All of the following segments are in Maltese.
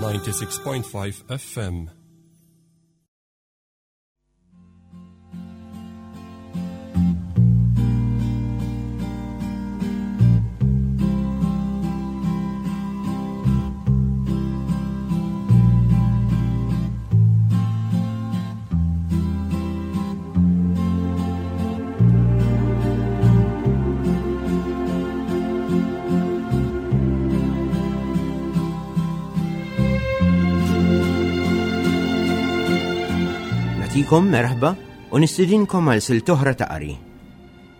96.5 FM. Natikom merħba u nistidinkom għal silt oħra ta' qari.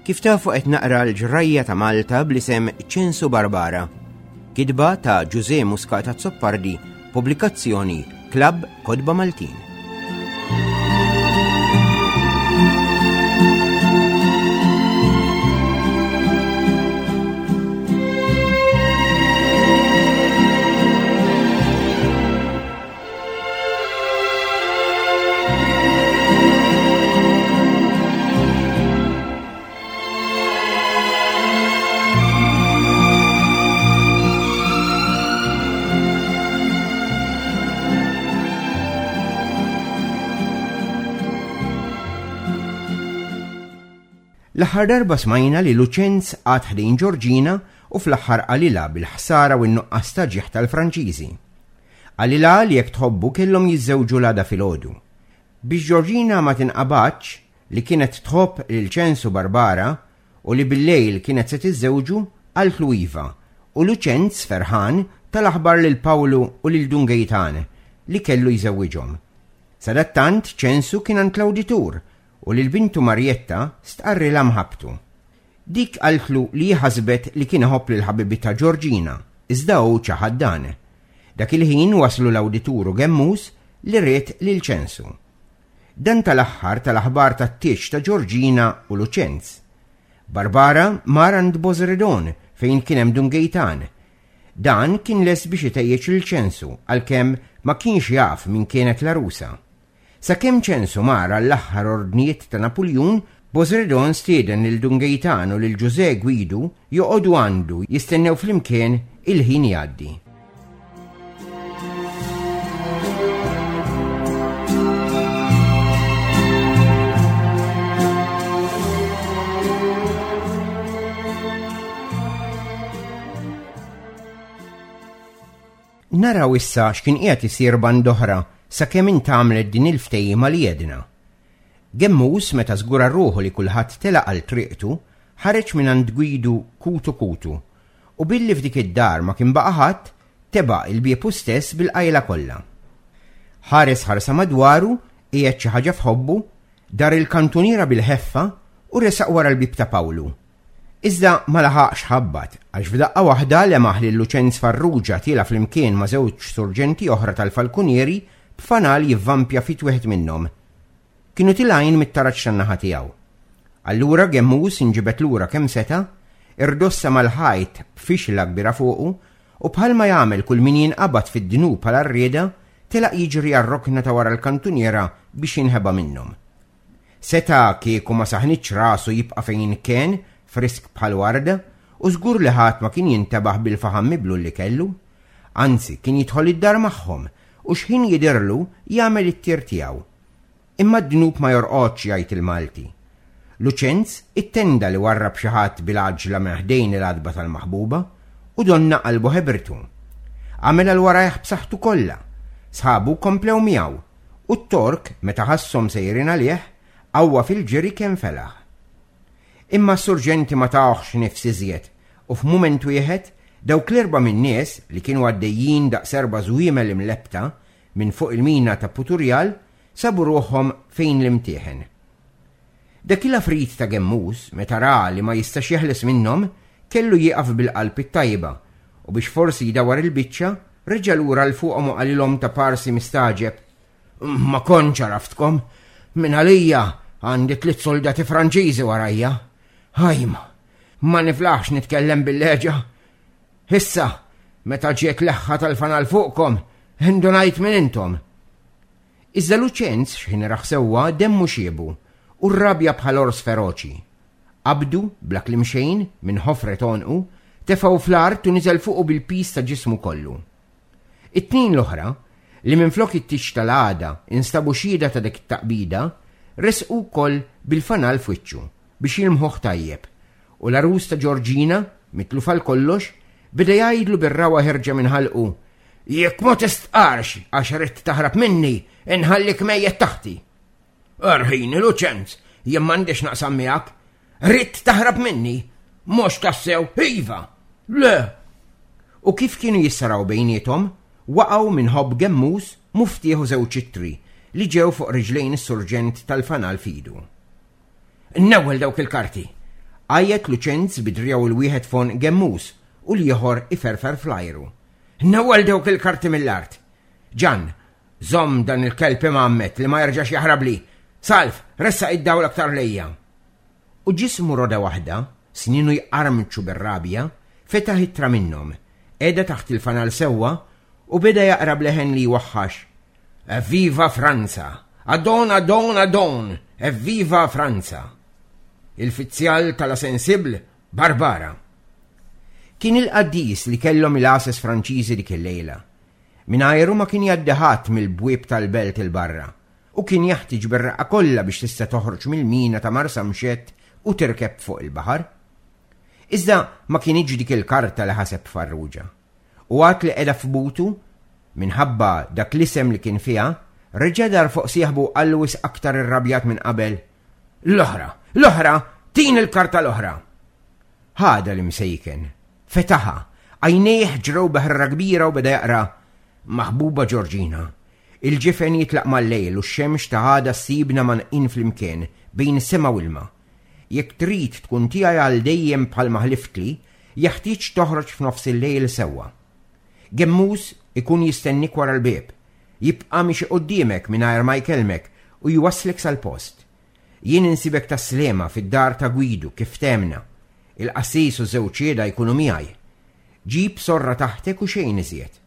Kif tafu qed naqra l-ġrajja ta' Malta bl-isem Ċensu Barbara. Kitba ta' Ġuże Muscat Azzopardi, pubblikazzjoni Klabb Kotba Maltin. L-aħħar darba smajna li Luċenz għad ħdejn Ġorġina u fl-aħħar qalilha bil-ħsara u n-nuqqas ta' ġieħ tal-Franċiżi. Qalilha li jekk tħobbu kellhom jiżżewġu l-għada filgħodu. Biex Ġorġina ma tinqabadx li kienet tħobb lil Ċensu Barbara u li bil-lejl kienet se tiżżewġu, qaltlu iva, u Luċenz, ferħan, ta l-aħbar lil Pawlu u lil Dun Gejtan li kellu jżewwiġhom. Sadattant Ċensu kien għand l-awditur u lil bintu Marjetta stqarrilha mħabbtu. Dik qaltlu li hi ħasbet li kien iħobb lil ħabibitha Ġorġina, iżda hu ċaħad dan. Dak il-ħin waslu l-awditur u Gemmus li ried lil Ċensu. Dan tal-aħħar ta l-aħbar tat-tieġ ta' Ġorġina u Luċenz. Barbara mar għand Bożredon fejn kien hemm Dun Gejtan. Dan kien lest biex itejjeġ lil Ċensu għalkemm ma kienx jaf min kienet l-għarusa. Sakemm Ċensu mar għall-aħħar ordnijiet ta' Napuljun, Bożredon stieden lil Dun Gejtan u lil Ġużè Gwidu joqogħdu għandu jistennew flimkien il-ħin jgħaddi. Naraw issa x'kien qiegħed isir band'oħra sakemm intgħamlet din il-ftehima li għedna. Gemmus meta żgura ruħu li kulħadd telaq għal triqtu, ħareġ mingħand Gwidu kutu kutu u billi f'dik id-dar ma kien baqa' ħadd, tebaq il-bieb hu stess bil-qajla kollha. Ħares ħarsa madwaru, qiegħed xi ħaġa f'ħobbu, dar il-kantuniera bil-ħeffa u resaq wara l-bieb ta' Pawlu. Iżda ma laħaqx ħabbat, għax f'daqqa waħda lemaħ lil Luċenz Farrugia tiela' flimkien ma' żewġ surġenti oħra tal-falkunieri b'fanal jivvampja f'id wieħed minnhom. Kienu tilgħin mit-taraġ tan-naħa tiegħu. Allura Gemmus inġibed lura kemm seta', irdossa mal-ħajt b'fixla kbira fuqu u bħalma jagħmel kull min jinqabad fid-dnub għal għarrieda, telaq jiġri għar-rokna ta' wara l-kantuniera biex jinħeba minnhom. Seta' kieku ma saħnitx rasu jibqa' fejn kien, frisk bħal warda, u żgur li ħadd ma kien jintebaħ bil-faħam miblul li kellu. Anzi, kien jidħol id-dar magħhom u x'ħin jidhirlu jagħmel it-tir tiegħu. Imma d-dnub ma jorqodx jgħid il-Malti. Luċenz ittenda li warrab xi ħadd bil-għaġla minn ħdejn il-għatba tal-maħbuba u donna qalbu ħebritu. Għamel għal warajh b'saħħtu kollha. Sħabu komplew miegħu U t-Tork, meta ħasshom sejrin għalih, qawwa fil-ġiri kemm felaħ. Imma s-surġenti ma tawhx nifs iżjed u f'mument wieħed dawk l-erbgħa min-nies li kienu għaddejjin daqs erba' żwiemel imlebbta minn fuq il-mina ta' Puturjal sabu ruħhom fejn l-imtieħen. Dak il-għafrit ta' Gemmus, meta ra li ma jistax jeħles minnhom, kellu jieqaf bil-qalb it-tajba u biex forsi jdawwar il-biċċa, reġa' lura 'l fuqhom u qalilhom ta' parsi mistagħġeb, Ma kontx għaraftkom. Minn għalija għandi tliet soldati Franċiżi warajja. Ħajma, ma niflaħx nitkellem bil-leġa. Issa, meta ġiet leħħa tal-fanal fuqkom, indunajt minn intom. Iżda Luċenz x'ħin rah sewwa demmu xiebu u rrabja bħal ors feroċi. Qabdu, bla kliem xejn, minn ħofret għonqu, tefgħu fl-art u niżel fuqu bil-piż ta' ġismu kollu. It-tnejn l-oħra, li minflok it-tieġ tal-għada instabu xhieda ta' dik it-taqbida, resqu wkoll bil-fanal f'wiċċu biex jilmħuh tajjeb, u l-għarus ta' Ġorġina, mitluf għal kollox, beda jgħidlu bir-ragħwa ħerġa minn ħalqu, Jekk ma tistqarx għax ridt taħrab minni, inħallik mejjet taħti. Erħini, Luċenz, jien m'għandix naqsam miegħek. Ridt taħrab minni? Mhux tassew, iva! Le! U kif kienu jissaraw bejniethom, waqgħu minn ħobb gemmus muftieħ u żewġ ittri li ġew fuq riġlejn is-surġent tal-fanal f'idu. Newwel dawk il-karti! Għajjet Luċenz bi driegħu l-wieħed f'għonq gemmus u l-ieħor iferfer fl-ajru. Newwel dawk il-karti mill-art! Ġann, Żomm dan il-kelb imgħammed li ma jerġax jaħrabli! Salv, ressaq id-dawl aktar lejja! U ġismu roda waħda, snienu jqarmċu bir-rabja, fetaħ ittra minnhom, qegħda taħt il-fanal sewwa u beda jaqra b'leħen li jwaħħax, Evviva Franza! Adon, adon, adon! Evviva Franza! Il-fizzjal ta' La Sensible, Barbara. Kien il-qaddis li kellhom il-għases Franċiżi dik il-lejla. Mingħajru ma kien jgħaddi ħadd mill-bwieb tal-belt 'il barra, u kien jaħtieġ bir-reqqa kollha biex tista' toħroġ mill-mina ta' Marsamxett u tirkeb fuq il-baħar. Iżda ma kinitx dik il-karta li ħaseb Farrugia. U għad li qegħda f'butu, minħabba dak l-isem li kien fiha, reġa' dar fuq sieħbu u qallu wisq aktar irrabjat minn qabel, L-oħra! L-oħra! Tini l-karta l-oħra! Ħadha l-imsejken. Fetaħha. Għajnejh ġrew bi ħrara kbira u beda jaqra, Maħbuba Ġorġina, il-ġifen jitlaq mal-lejl u x-xemx ta' għada ssibna mgħannqin flimkien bejn sema u ilma. Jekk trid tkun tiegħi għal dejjem bħalma ħliftli, jeħtieġ toħroġ f'nofs il-lejl sewwa. Gemmus ikun jistennik wara l-bieb. Jibqa' miexi quddiemek mingħajr ma jkellmek u jwasslek sal-post. Jien insibek tas-Sliema fid-dar ta' Gwidu kif ftehmna. Il-qassis u żewġ xhieda jkunu miegħi. Ġib sorra taħtek u xejn iżjed.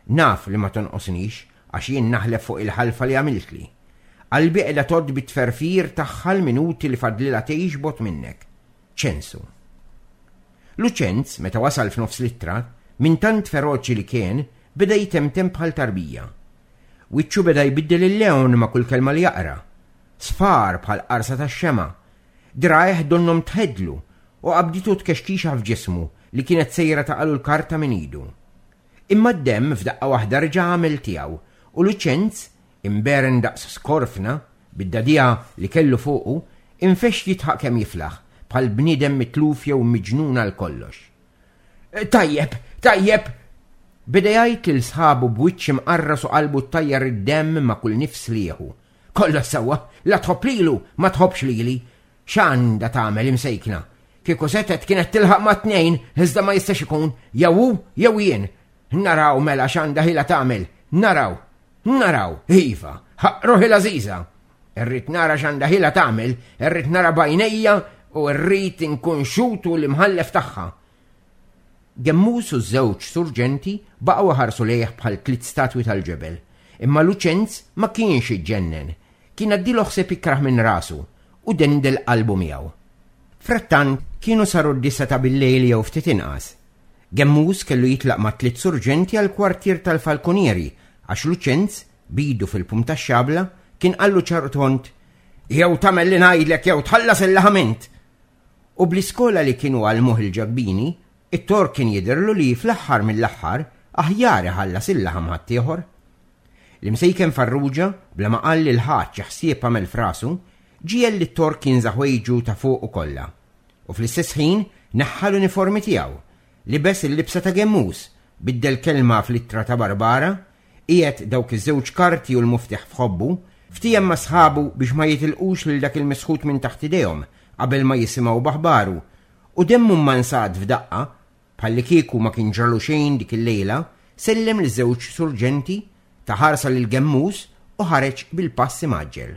Naf li ma tonqosnix għax jien naħlef fuq il-ħalfa li għamiltli. Qalbi qiegħda tgħodd bit-tferfir tagħha l-minuti li fadlilha tgħix bogħod minnek. Ċensu. Luċenz, meta wasal f'nofs l-ittra, minn tant feroċi li kien, beda jtemtem bħal tarbija. Wiċċu beda jbiddel il-lewn ma' kull kelma li jaqra. Sfar bħal qarsa tax-xemgħa. Dirgħajh donnhom tħeddlu u qabditu tkexkixa f'ġismu li kienet sejra taqalu l-karta minn idu. Imma d-demm f'daqqa waħda reġa' għamel tiegħu u Luċenz, imberen daqs skorfna, bid-dagħdigħa li kellu fuqu, infexx jidħaq kemm jiflaħ, bħal bniedem mitluf jew miġnun għal kollox. Tajjeb, tajjeb! Beda jgħid lil sħabu b'wiċċ imqarras u qalbu ttajjar id-demm ma' kull nifs li jieħu. Kollox sewwa, la tħobb lilu, ma tħobbx lili. X'għandha tagħmel imsejkna? Kieku setgħet kienet tilħaq mat-tnejn, iżda ma jistax ikun, jew hu jew jien. Naraw mela x'għandha ħila tagħmel, naraw. Naraw, iva, ħaqq ruħi l-għażiża. Irrid nara x'għandha ħila tagħmel, irrid nara b'għajnejja u rrid inkun xhud u l-imħallef tagħha. Gemmus u ż-żewġ surġenti baqgħu iħarsu lejh bħal tliet statwi tal-ġebel. Imma Luċenz ma kienx iġġennen. Kien għaddielu ħsieb ikrah minn rasu u dendel qalbu miegħu. Frattant kienu saru d-disgħa ta' billejl jew ftit inqas. Gemmus kellu jitlaq mat-tliet surġenti għall-kwartier tal-falkunieri għax Luċenz, b'idu fil-pum tax-xabla, kien qallu ċar u tond, Jew tagħmel li ngħidlek jew tħallas il-laħam int! U bl-iskola li kienu għallmuh il-Ġakbini, it-Tork kien jidhirlu li fl-aħħar mill-aħħar aħjar iħallas il-laħam ħaddieħor. L-imsejken Farrugia, bla ma qal lil ħadd xi ħsieb għamel f'rasu, ġiegħel lit-Tork jinża' ħwejġu ta' fuqu kollha. U fl-istess ħin neħħa l-uniformi tiegħu, libes il-libsa ta' Gemmus, biddel kelma fl-ittra ta' Barbara, qiegħed dawk iż-żewġ karti u l-muftieħ f'ħobbu, ftiehem ma' sħabu biex ma jitilqux lil dak il-misħut minn taħt idejhom qabel ma jisimgħu b'aħbaru, u demmu mmansat f'daqqa, bħallikieku ma kien ġralu xejn dik il-lejla, sellem liż-żewġ surġenti, ta ħarsa lil Gemmus u ħareġ bil-pass imgħaġġel.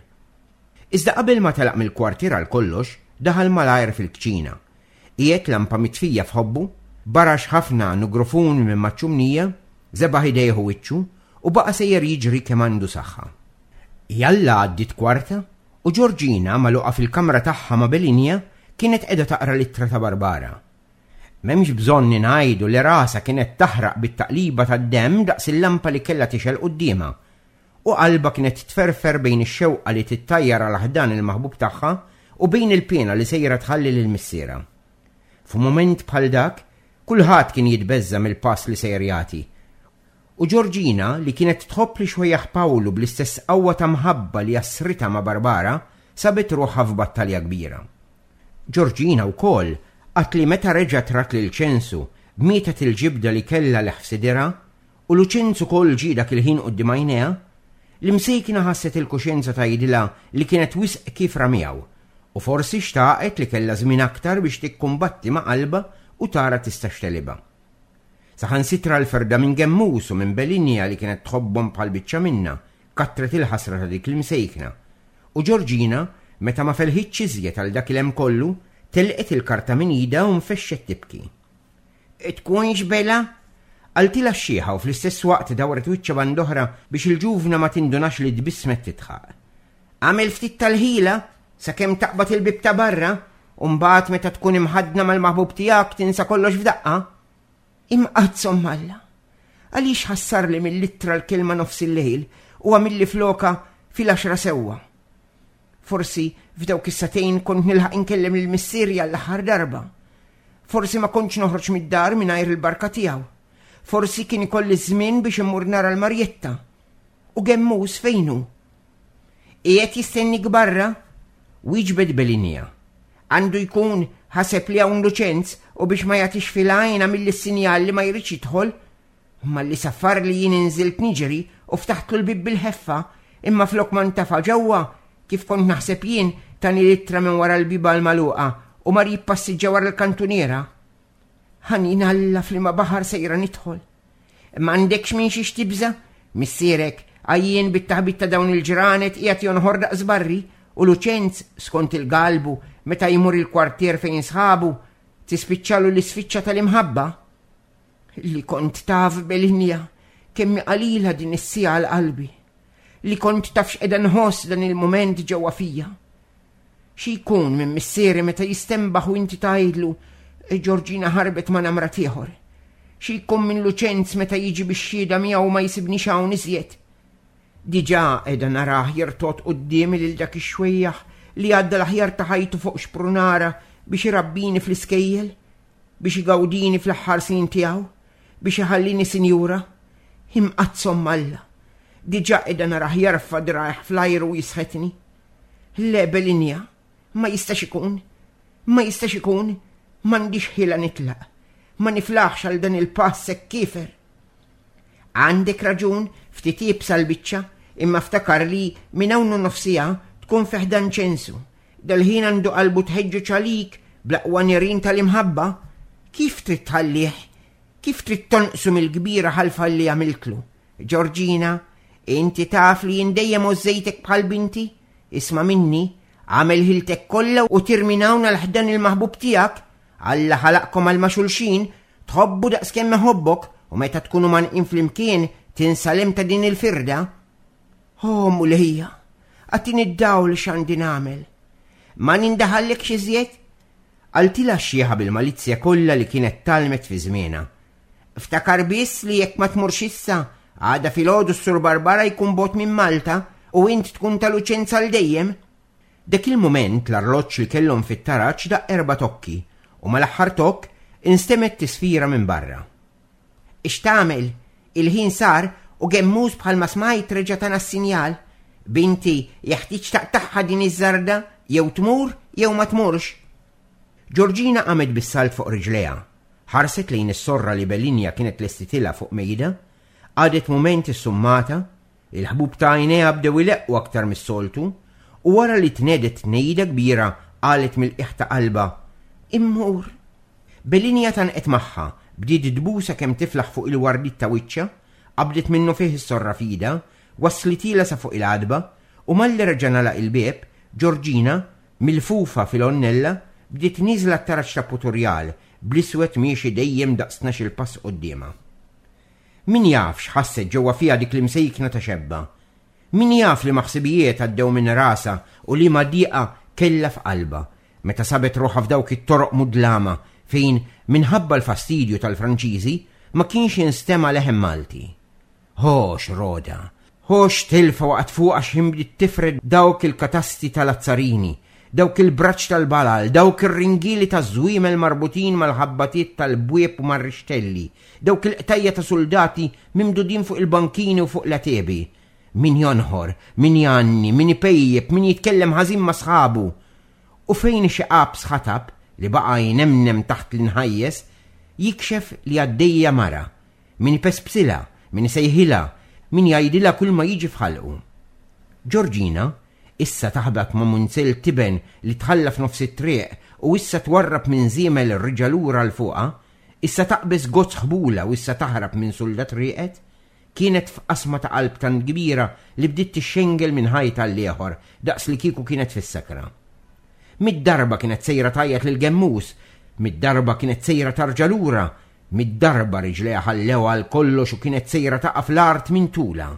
Iżda qabel ma telaq mill-kwartier għal kollox, daħal malajr fil-kċina. Qiegħed lampa mitfija f'ħobbu, barax ħafna nugrufun minn maċ-ċumnija, żebaħ idejh u wiċċu, u baqa' sejjer jiġri kemm għandu saħħa. Jalla għaddiet kwarta, u Ġorġina, magħluqa fil-kamra tagħha ma' Belinja, kienet qiegħda taqra l-ittra ta' Barbara. M'hemmx bżonn ingħidu li rasha kienet taħraq bit-taqliba tad-demm daqs il-lampa li kellha tixgħel quddiemha, u qalbha kienet tferfer bejn ix-xewqa li tittajjar għal ħdan il-maħbub tagħha u bejn il-piena li sejra tħalli lil missierha. F'mument bħal dak, kulħadd kien jitbeżża' mill-pass li sejjer jagħti. U Ġorġina, li kienet tħobb lix-xwejjaħ Pawlu bl-istess qawwa ta' mħabba li assritha ma' Barbara, sabet ruħha f'battalja kbira. Ġorġina wkoll qatt li meta reġgħet rat lil Ċensu, mietet il-ġibda li kellha leħ f'sidirha, u Luċenz ukoll ġie dak il-ħin quddiem għajnejha, l-imsejkna ħasset il-kuxjenza tgħidilha li kienet wisq kiefra miegħu, u forsi xtaqet li kellha żmien aktar biex tikkumbatti ma' qalbha u tara tistax tegħlibha. Saħansitra l-ferda minn Gemmus u minn Belinja li kienet tħobbhom bħal biċċa minnha, kattret il-ħasra ta' dik l-imsejkna. U Ġorġina, meta ma felħitx iżjed għal dak il-hemm kollu, telqet il-karta minn idha u nfexxet tibki. Tkunx bela? Qaltilha x-xiħa u fl-istess waqt dawret wiċċha band'oħra biex il-ġuvna ma tindunax li tbissmet tidħaq. Agħmel ftit tal-ħila sakemm taqbad il-bieb ta' barra u mbagħad meta tkun imħaddna mal-maħbub tiegħek tinsa kollox f'daqqa. Imqaddsa Omm Alla, għaliex ħassarli mill-ittra l-kelma nofs il-lejl u għamilli floka fil-għaxra sewwa? Forsi f'dawk is-sagħtejn kont nilħaq inkellem lil missieri għall-aħħar darba. Forsi ma kontx noħroġ mid-dar mingħajr il-barka tiegħu. Forsi kien ikolli żmien biex immur nara l-Marjetta. U Gemmus fejn hu? Qiegħed jistennik barra? Wieġbet Belinja. Għandu jkun ħaseb li hawn Luċenz u biex ma jagħtix fil-għajn għamilli s-sinjal li ma jridx jidħol. Malli saffarli jien inżilt niġri u ftaħtlu l-bieb bil-ħeffa, imma flok ma ntafa' ġewwa, kif kont naħseb jien, tani l-ittra minn wara l-bieba l-magħluqa u mar jippassiġġa wara l-kantuniera. Ħanin Alla f'liema baħar sejra nidħol. M'għandekx minn xiex tibża', missierek, għajjien bit-taħbit ta' dawn il-ġranet qiegħed jonħor daqs barri u Luċenz, skont il-galbu, meta jmur il-kwartier fejn sħabu, tispiċċalu l-isfiċċa tal-imħabba. Li kont taf Belinja kemm hi qalila din is-siegħa għal qalbi. Li kont taf x'qiegħda nħoss dan il-mument ġewwa fija. Xi jkun minn missieri meta jistenbaħ u inti tgħidlu Ġorġina ħarbet ma' namrat ieħor. Xi jkun minn Luċenz meta jiġi bix-xhieda miegħu ma jsibnix hawn iżjed. Diġà qiegħda narah jirtogħod quddiemi lil dak ix-xwejjaħ li għadda l-aħjar ta' ħajtu fuq xprunara biex irabbini fl-iskejjel. Biex igawdini fl-aħħar snin tiegħu? Biex iħallini sinjura? Imqaddsa Omm Alla! Diġà qiegħda narah jerfa' dirgħajh fl-ajru u jisħetni. Le, Belinja, ma jistax ikun. Ma jistax ikun. M'għandix ħila nitlaq. Ma niflaħx għal dan il-pass hekk kiefer. Għandek raġun, ftit iebsa l-biċċa, imma ftakar li minn hawn u nofs siegħa tkun fi ħdan ċensu. Dal-ħin għandu qalbu tħeġġeġ għalik bl-aqwa nirien tal-imħabba. Kif trid tħallih? Kif trid tonqsu mill-kbira ħalfa li għamiltlu? Ġorġina, inti taf li jien dejjem għożżejtek bħal binti? Isma' minni, agħmel ħiltek kollha u tir minn hawn għal ħdan il-maħbub tiegħek. Alla ħalaqkom għal ma' xulxin, tħobbu daqskemm iħobbok u meta tkunu mgħannqin flimkien tinsa l-hemm ta' din il-firda. O Mulejja, agħtini d-dawl x'għandi nagħmel. Ma nindaħallekx iżjed? Qaltilha x-xiħa bil-malizzja kollha li kienet tgħallmet fi żmienha. Ftakar biss li jekk ma tmurx issa, għada filgħodu s-Sur Barbara jkun bogħod minn Malta u int tkun ta' Luċenza għal dejjem. Dak il-mument l-arloġġ li kellhom fit-taraġ daqq erba' tokki u mal-aħħar tokk instemgħet tisfira minn barra. X'tagħmel? Il-ħin sar u Gemmus bħalma smajt reġa' tana s-sinjal. Binti, jeħtieġ taqtagħha din iż-żarda, jew tmur jew ma tmurx. Ġorġina qamet bis-salt fuq riġlejha, ħarset lejn is-sorra li Belinja kienet lestitilha fuq mejda, qagħdet mument issummata, il-ħbub ta' għajnejha bdew ileqqu aktar mis-soltu, u wara li tnegħdet tnejda kbira qalet mill-qiegħ ta' qalbha, Immur. Belinja tgħannqet magħha, bdiet tbusha kemm tiflaħ fuq il-wardiet ta' wiċċha, qabdet minnufih is-sorra f'idha, wasslithielha sa fuq il-għatba, u malli reġa' ngħalaq il-bieb, Ġorġina, milfufa fil-għonnella, bdiet nieżla t-taraġ ta' Puturjal, bl-iswed miexi dejjem daqs tnax-il pass quddiemha. Min jaf x'ħasset ġewwa fiha dik l-imsejkna ta' xebba? Min jaf liema ħsibijiet għaddew minn rasha u liema dieqa kellha f'qalbha, meta sabet ruħha f'dawk it-toroq mudlama, fejn minħabba l-fastidju tal-Franċiżi ma kienx jinstema' leħen Malti. Ho x'roda! Ho x'tilfa waqgħet fuqha x'ħin bdiet tifred dawk il-katasti tal-azzarini, dawk il-braċ tal-balal, dawk ir-ringieli taż-żwiemel marbutin mal-ħabbatiet tal-bwieb u mar-rixtelli, dawk il-qtajja' ta' suldati mimdudin fuq il-bankini u fuq l-għetiebi. Min jonħor, min jgħanni, min ipejjep, min jitkellem ħażin ma' sħabu. U fejn xi qaps ħatab, li baqa' jnemnem taħt l-inħajjes, jikxef li għaddejja mara, Min ipespsilha, min isejħilha, min jgħidilha kulma jiġi f'ħalqu. Ġorġina, issa taħbat ma' munzell tiben li tħalla f'nofs it-triq u issa twarrab minn żiemel reġa' lura 'l fuqha, issa taqbeż gozz ħbula u issa taħrab minn suldat rieqed, kienet f'qasma ta' qalb tant kbira li bdiet tixxengel minn ħajt għall-ieħor daqs li kieku kienet fis-sakra. Mid-darba kienet sejra tgħajjat lil Gemmus, mid-darba kienet sejra tarġa' lura, Mid-darba riġlejha ħallewha għal kollox u kienet sejra taqa' fl-art minn tulha.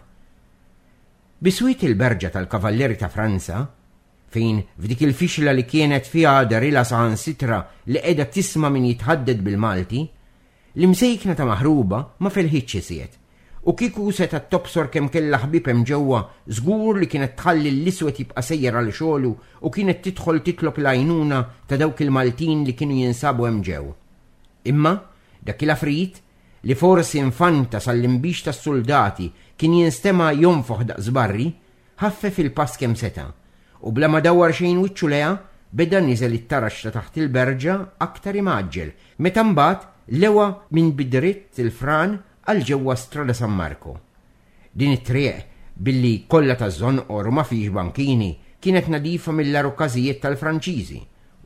Biswit il-berġa tal-Kavallieri ta' Franza, fejn f'dik il-fixla li kienet fiha dehrilha saħansitra li qiegħda tisma' min jitħaddet bil-Malti, l-imsejkna ta' maħruba ma felħitx iżjed, u kieku setgħet tobsor kemm kellha ħbieb hemm ġewwa żgur li kienet tħalli l-iswed jibqa' sejjer għal xogħlu u kienet tidħol titlob l-għajnuna ta' dawk il-Maltin li kienu jinsabu hemm ġew. Imma dak il-għafrit, li forsi nfanta sal-inbix tas-suldati kien jinstema' jonfoħ daqs barri, ħaffef il-pass kemm seta', u bla ma dawwar xejn wiċċu lejha, beda niżel it-taraġ ta' taħt il-berġa aktar imgħaġġel, meta mbagħad lewa minn bi dritt il-fran għal ġewwa Strada San Marco. Din it-triq, billi kollha taż-żonqor u ma fihiex bankini, kienet nadifa mill-agħar okkażijiet tal-Franċiżi,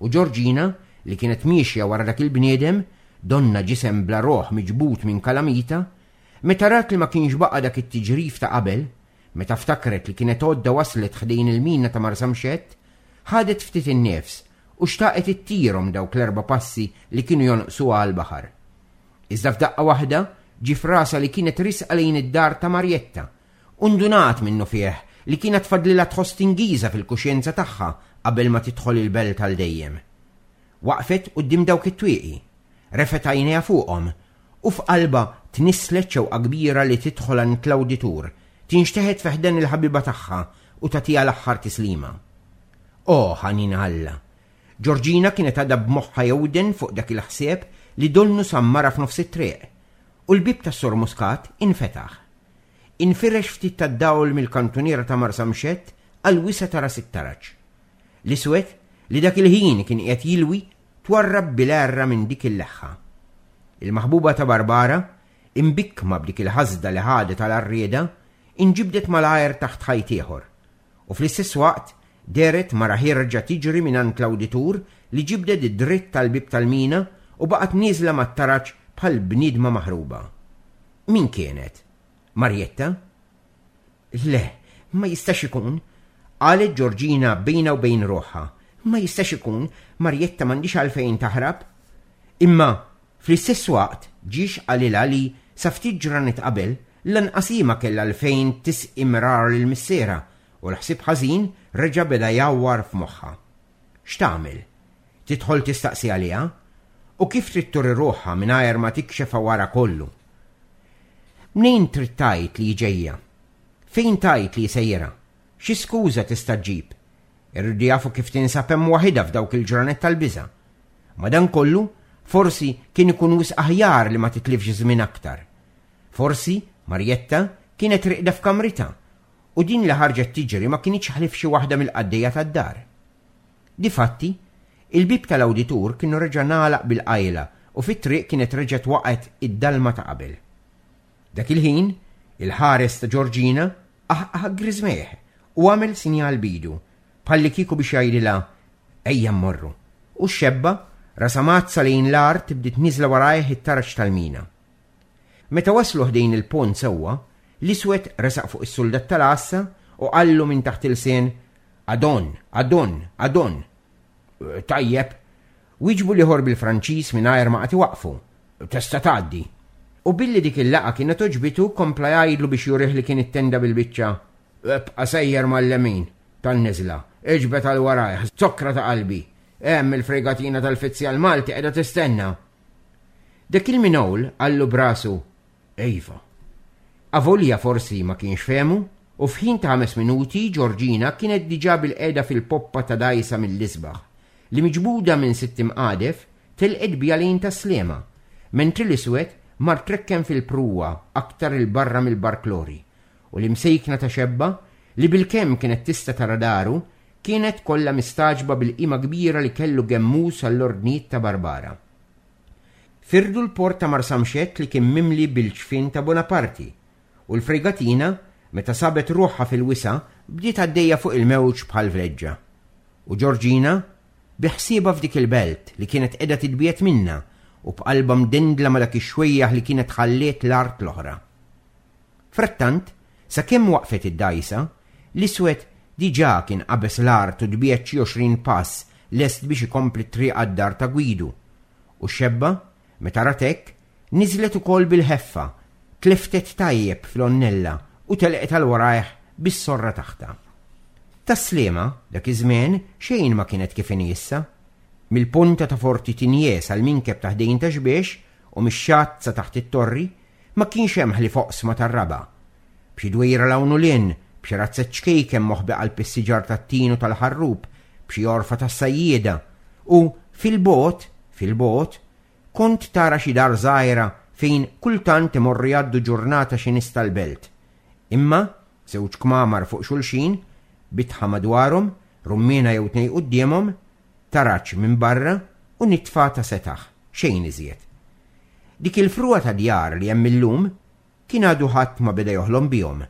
u Ġorġina, li kienet miexja wara dak il-bniedem, donnha ġisem bla ruħ miġbud minn kalamita, meta rat li ma kienx baqa' dak it-tiġrif ta' qabel, meta ftakret li kienet għodda waslet ħdejn il-mina ta' Marsamxett, ħadet ftit in-nifs u xtaqet ittirhom dawk l-erba' passi li kienu jonqsuha għall-baħar. Iżda f'daqqa waħda ġie f'rasha li kienet riesqa lejn id-dar ta' Marjetta u ndunat minnufih li kienet fadlilha tħoss tingiża fil-kuxjenza tagħha qabel ma tidħol il-belt għal dejjem. Waqfet quddiem dawk it-twieqi, refgħet għajnejha fuqhom u f'qalbha tnisslet xewqa kbira li tidħol għand l-awditur, tinxteħet fi ħdan il-ħabiba tagħha u tagħtiha l-aħħar tislima. O, ħanin Alla! Ġorġina kienet għadha b'moħħha jewden fuq dak il-ħsieb li donnu sammarha f'nofs it-triq, u l-bieb tas-Sur Muscat infetaħ. Infirex ftit tad-dawl mill-kantuniera ta' Marsamxett għall-wisa' ta' ras it-taraġ. L-iswed, li dak il-ħin kien qiegħed jilwi, twarrab bil-għerra minn dik il-leħħa. Il-maħbuba ta' Barbara, imbikkma b'dik il-ħasda li ħadet għal għarrieda, inġibdet malajr taħt ħajt ieħor, U fl-istess waqt dehret mara ħierġa tiġri mingħand l-awditur li ġibdet dritt għall-bieb tal-mina u baqgħet nieżla mat-taraġ bħal bniedma maħruba. Min kienet? Marjetta? Le, ma jistax ikun, qalet Ġorġina bejnha u bejn ruħha. Ma jistax ikun, Marjetta m'għandhiex għalfejn taħrab. Imma Fl-istess waqt ġiex qalilha li sa ftit ġranet qabel lanqas hi ma kellha għalfejn tisqi mrar lil missierha u l-ħsieb ħażin reġa' beda jgħawwar f'moħħha. X'tagħmel? Tidħol tistaqsi għaliha? U kif trid turi ruħha mingħajr ma tikxef għawarha kollu? Mnejn trid tgħid li hi ġejja? Fejn tgħid li hi sejra? Xi skuża tista' ġġib? Irridu jafu kif tinsab hemm waħidha f'dawk il-ġranet tal-biża'. Madankollu, forsi kien ikun wisq aħjar li ma titlifx żmien aktar. Forsi, Marjetta kienet rieqda f'kamritha u din li ħarġet tiġri ma kinitx ħlief xi waħda mill-qaddejja tad-dar. Difatti, il-bieb tal-awditur kien reġa' ngħalaq bil-qajla u fit-triq kienet reġgħet waqgħet id-dalma ta' qabel. Dak il-ħin, il-ħares ta' Ġorġina qaħqaħ griżmejh u għamel sinjal b'idu, bħallikieku biex jgħidilha, Ejja mmorru. U x-xebba, rasha mgħaddsa lejn l-art, bdiet nieżla warajh it-taraġ tal-mina. Meta waslu ħdejn il-pont sewwa, l-iswed resaq fuq is-suldat tal-għassa u qallu minn taħt ilsien, Adon, Adon, Adon. Tajjeb, wieġbu l-ieħor bil-Franċiż mingħajr ma qagħad iwaqqfu, Tista' tgħaddi. U billi dik il-laqgħa kienet għoġbitu kompla jgħidlu biex jurih li kien ittenda bil-biċċa, Ibqa' sejjer mal-lemin tan-niżla, iġbed għal warajh, zokkra ta' qalbi. Hemm il-fregatina tal-fizzjal Malti qiegħda tistenna. Dak il-minowl qallu b'rasu, Iva. Avolja forsi ma kienx fehmu, u f'ħin ta' ħames minuti Ġorġina kienet diġà bilqiegħda fil-poppa ta' dgħajsa mill-isbaħ, li miġbuda minn sitt imqadef telqet biha lejn Tas-Sliema, mentri l-iswed mar trekken fil-pruwa aktar 'il barra mill-barklori, u l-imsejkna ta' xebba, li bilkemm kienet tista' tara daru, kienet kollha mistagħġba bil-qima kbira li kellu Gemmus għall-ordnijiet ta' Barbara. Firdu l-port ta' Marsamxett li kien mimli bil-ġfien ta' Bonaparti, u l-fregatina, meta sabet ruħha fil-wisa', bdiet għaddejja fuq il-mewġ bħal vleġġa. U Ġorġina, bi ħsiebha f'dik il-belt li kienet qiegħda titbiegħed minnha u b'qalbha mdendla ma' dak ix-xwejjaħ li kienet ħalliet l-art l-oħra. Frattant, sakemm waqfet id-dgħajsa, l-iswed diġà kien qabeż l-art u tbiegħed xi 20 pass lest biex ikompli t-triq għad-dar ta' Gwidu. U x-xebba, meta rat hekk, niżlet ukoll bil-ħeffa, tleftet tajjeb fl-għonnella u telqet għal warajh bis-sorra taħtha. Tas-Sliema, dak iż-żmien, xejn ma kienet kif inhi issa. Mill-ponta ta' Forti Tigné sal-minkeb ta' ħdejn Ta' Xbiex u mix-xatt sa taħt it-torri, ma kienx hemm ħlief oqsma tar-raba'. B'xi dwejra 'l hawn u 'l hinn, b'xi razzett ċkejken moħbi qalb is-siġar tat-tin u tal-ħarrub, b'xi għorfa tas-sajjieda, u fil-bogħod, fil-bogħod, kont tara xi dar żgħira fejn kultant imorru jgħaddu ġurnata xi nies tal-belt. Imma, żewġ kmamar fuq xulxin, bitħa madwarhom, rummiena jew tnejn quddiemhom, taraġ minn barra u nitfa ta' setaħ, xejn iżjed. Dik il-frugħa ta' djar li hemm illum kien għadu ħadd ma beda joħlom bihom,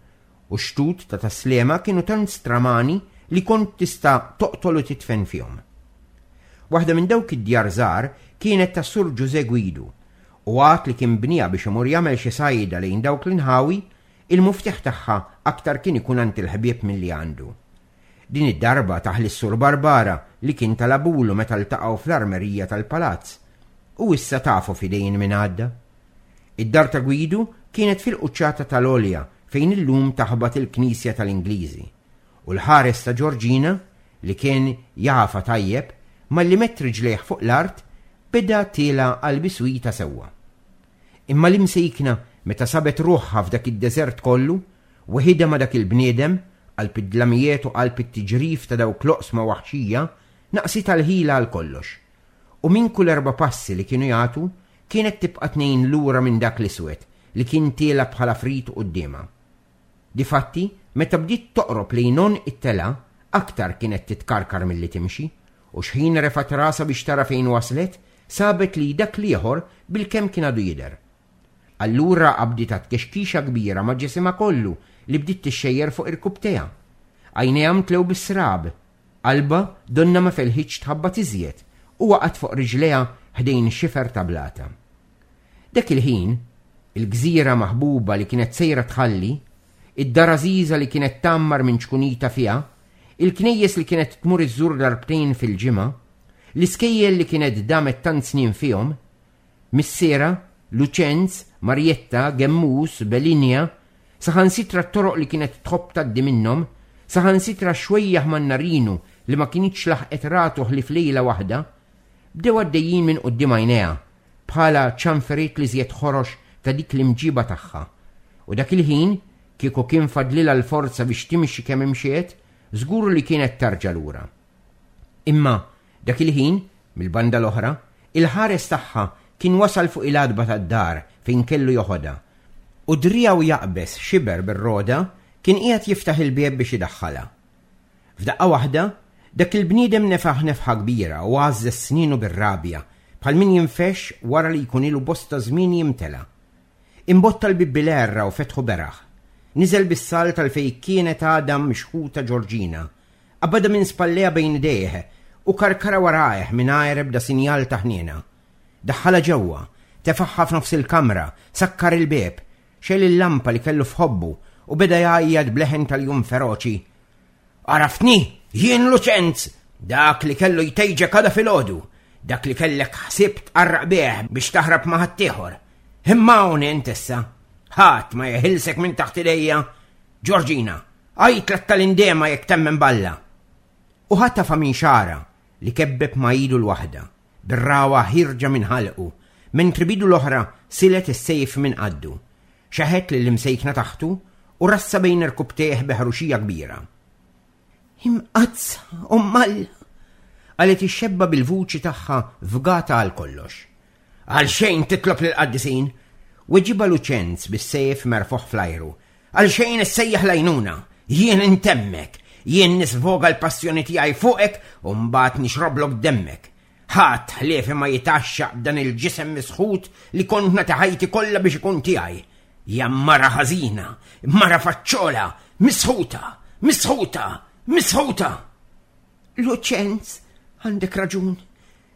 u x-xtut ta' Tas-Sliema kienu tant stramani li kont tista' toqtol u tidfen fihom. Waħda minn dawk id-djar żgħar kienet tas-Sur Ġużè Gwidu, u għad li kien bnieha biex imur jagħmel xi sajda lejn dawk l-inħawi, il-muftieħ tagħha aktar kien ikun għand il-ħbieb milli għandu. Din id-darba tah lis-Sur Barbara li kien talabulu meta ltaqgħu fl-armerija tal-palazz, u issa tafu f'idejn min għadda. Id-dar ta' Gwidu kienet fil-quċċata tal-għolja fejn illum taħbat il-knisja tal-Ingliżi, u l-ħares ta' Ġorġina, li kien jafha tajjeb, malli medd riġlejh fuq l-art, beda tiela' għal biswitha sewwa. Imma l-imsejkna meta sabet ruħha f'dak id-deżert kollu, weħidha ma' dak il-bniedem, qalb id-dlamijiet u qalb it-tiġrif ta' dawk l-oqsma waħxija, naqsitha l-ħila għal kollox. U minn kull erba' passi li kienu jagħtu, kienet tibqa' tnejn lura minn dak l-iswed li kien tiela' bħala frid quddiemha. Difatti, meta bdiet toqrob lejn għonq it-telgħa, aktar kienet titkarkar milli timxi, u xħin refgħet rasha biex tara fejn waslet, sabet li dak l-ieħor bilkemm kien għadu jidher. Allura qabditha tkexkixa kbira ma' ġisimha kollu li bdiet tixxejjer fuq irkupptejha. Għajnejha mtlew bis-srab. Qalbha donnha ma felħitx tħabbat iżjed u waqgħet fuq riġlejha ħdejn xifer ta' blata. Dak il-ħin, il-gżira maħbuba li kienet sejra tħalli, id-dar għażiża li kienet tgħammar minn ċkunita fiha, il-knejjes li kienet tmur iżżur darbtejn fil-ġimgħa, l-iskejjel li kienet damet tant snin fihom, missierha, Luċenz, Marjetta, Gemmus, Belinja, saħansitra t-toroq li kienet tħobb tgħaddi minnhom, saħansitra x-xwejjaħ mannarinu li ma kinitx laħqet ratu ħlief lejla waħda, bdew għaddejjin minn quddiem għajnejha bħala ċanferiet l-iżjed ħorox ta' dik l-imġiba tagħha. U dak il-ħin, kieku kien fadlilha l-forza biex timxi kemm imxiet, żgur li kienet tarġa' lura. Imma, dak il-ħin, mill-banda l-oħra, il-ħares tagħha kien wasal fuq il-għatba tad-dar fejn kellu joħodha, u driegħu jaqbeż xiber bir-rogħda kien qiegħed jiftaħ il-bieb biex idaħħalha. F'daqqa waħda, dak il-bniedem nefaħ nefħa kbira u għażżeż snienu bir-rabja, bħal min jinfexx wara li jkun ilu bosta żmien jimtela. Imbotta l-bieb bil-għerra u fetħu beraħ. Niżel bis-salt għal fejn kienet għadha mixħuta Ġorġina. Qabadha minn spallejha bejn idejh u karkarha warajh mingħajr ebda sinjal ta' ħniena. Daħħalha ġewwa, tefagħha f'nofs il-kamra, sakkar il-bieb, xegħel il-lampa li kellu f'ħobbu u beda jgħajjat b'leħen ta' ljun feroċi. Għaraftni, jien Luċenz, dak li kellu jtejġek għada filgħodu, dak li kellek ħsieb tqarraq bih biex taħrab ma' ħaddieħor. Imma hawn int issa. Ħadd ma jeħilsek minn taħt idejja. Ġorġina, għajtlek tal-indema jekk temmen balla. U ħatafa minn xara. li kebbeb ma' idu l-waħda, bir-ragħwa ħierġa minn ħalqu, mentri b'idu l-oħra silet is-sejf minn qaddu. Xeħet lill-imsejkna taħtu u rassa bejn irkubtejh bi ħruxija kbira. Imqaddsa, Omm Alla! qalet ix-xebba bil-vuċi tagħha fgata għal kollox. Għalxejn titlob lill-qaddisin! Weġibha Luċenz bis-sejf merfugħ fl-ajru. Għalxejn issejjaħ l-għajnuna! Jien intemmek! Jien nisvoga l-passjoni tiegħi fuqek u mbagħad nixroblok demmek! Ħadd ħliefi ma jitgħaxxaq b'dan il-ġisem misħut li kont nagħti ħajti kollha biex ikun tiegħi. Ja mara ħażina, mara faċċola, misħuta, misħuta, misħuta! Luċenz, għandek raġun.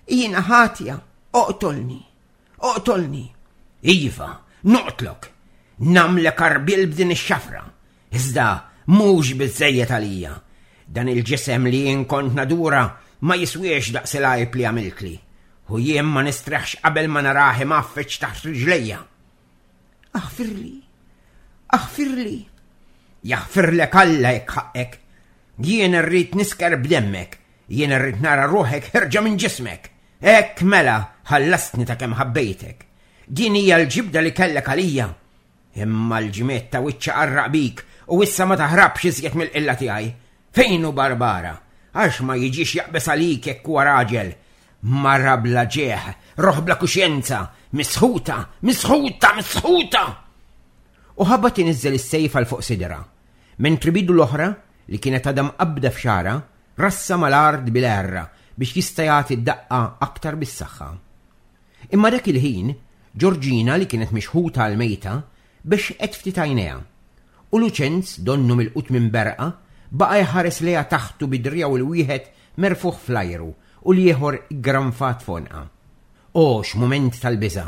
Jiena ħatja, oqtolni, oqtolni. Iva, noqtlok. Namlek arbil b'din ix-xafra. Iżda mhux biżejjed għalija. Dan il-ġisem li jien kont nadura ma jiswiex daqs il-għajb li għamiltli. U jien ma nistreħx qabel ma narah imgħaffeġ taħt riġlejja. Aħfirli, aħfirli. Jaħfirlek Alla jekk ħaqqek. Jien irrid nisker b'demmek, jien irrid nara ruħek ħerġa minn ġismek. Hekk mela ħallastni ta' kemm ħabbejtek. Din hija l-ġibda li kellek għalija. Imma l-ġmiet ta' wiċċa qarraq bik u issa ma taħrabx iżjed mill-qilla tiegħi. Fejn hu Barbara? Għax ma jiġix jaqbeż għalik jekk huwa raġel. Mara bla ġieħ, roħ bla kuxjenza, misħuta, misħuta, misħuta! U ħabat iniżżel is-sejf għal fuq sidra. Mentri bidu l-oħra, li kienet għadha mqabbda f'xagħarha, rassa mal-art bil-għerra biex jista' jagħti d-daqqa aktar bis-saħħa. Imma dak il-ħin, Ġorġina li kienet mixħuta għall-mejta, bexxqet ftit għajnejha. U Luċenz, donnu milqut minn berqa, baqa' jħares lejha taħtu bi driegħu l-wieħed merfugħ fl-ajru u l-ieħor iggranfat f'għonqha. O x'mument tal-biża'!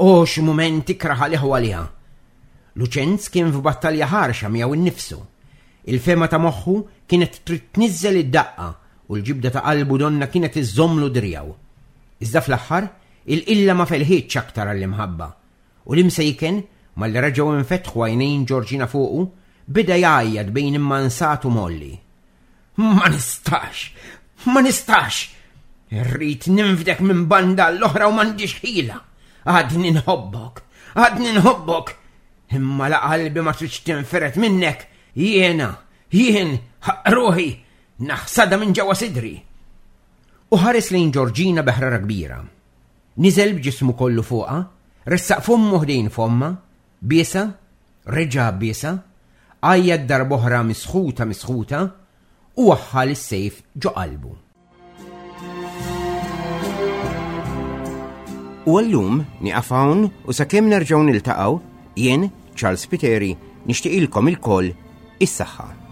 O x'mument ikrah għalih u għaliha! Luċenz kien f'battalja ħarxa miegħu nnifsu. Il-fehma ta' moħħu kienet trid tniżżel id-daqqa u l-ġibda ta' qalbu donnha kienet iżżommlu driegħu. Iżda fl-aħħar, il-qilla ma felħitx aktar għall-imħabba. U l-imsejken, malli reġgħu infetħu għajnejn Ġorġina fuqu, beda jgħajjat bejn immansat u mgħolli. Ma nistax! Ma nistax! Irrid ninfdek minn banda l-oħra u m'għandix ħila. Għadni nħobbok, għadni nħobbok. Imma la qalbi ma tridx tinferet minnek, jiena, jien, ruħi, naħsada minn ġewwa sidri. U ħares lejn Ġorġina bi ħrara kbira. Niżel b'ġismu kollu fuqha, ressaq fommu ħdejn fomma, biesha, reġa' biesha, għajjat darb'oħra misħuta misħuta, u waħħal is-sejf ġo qalbu. U għallum nieqaf hawn u sakemm nerġgħu niltaqgħu, jien, Charles Spiteri, nixtieqilkom ilkoll is-saħħa.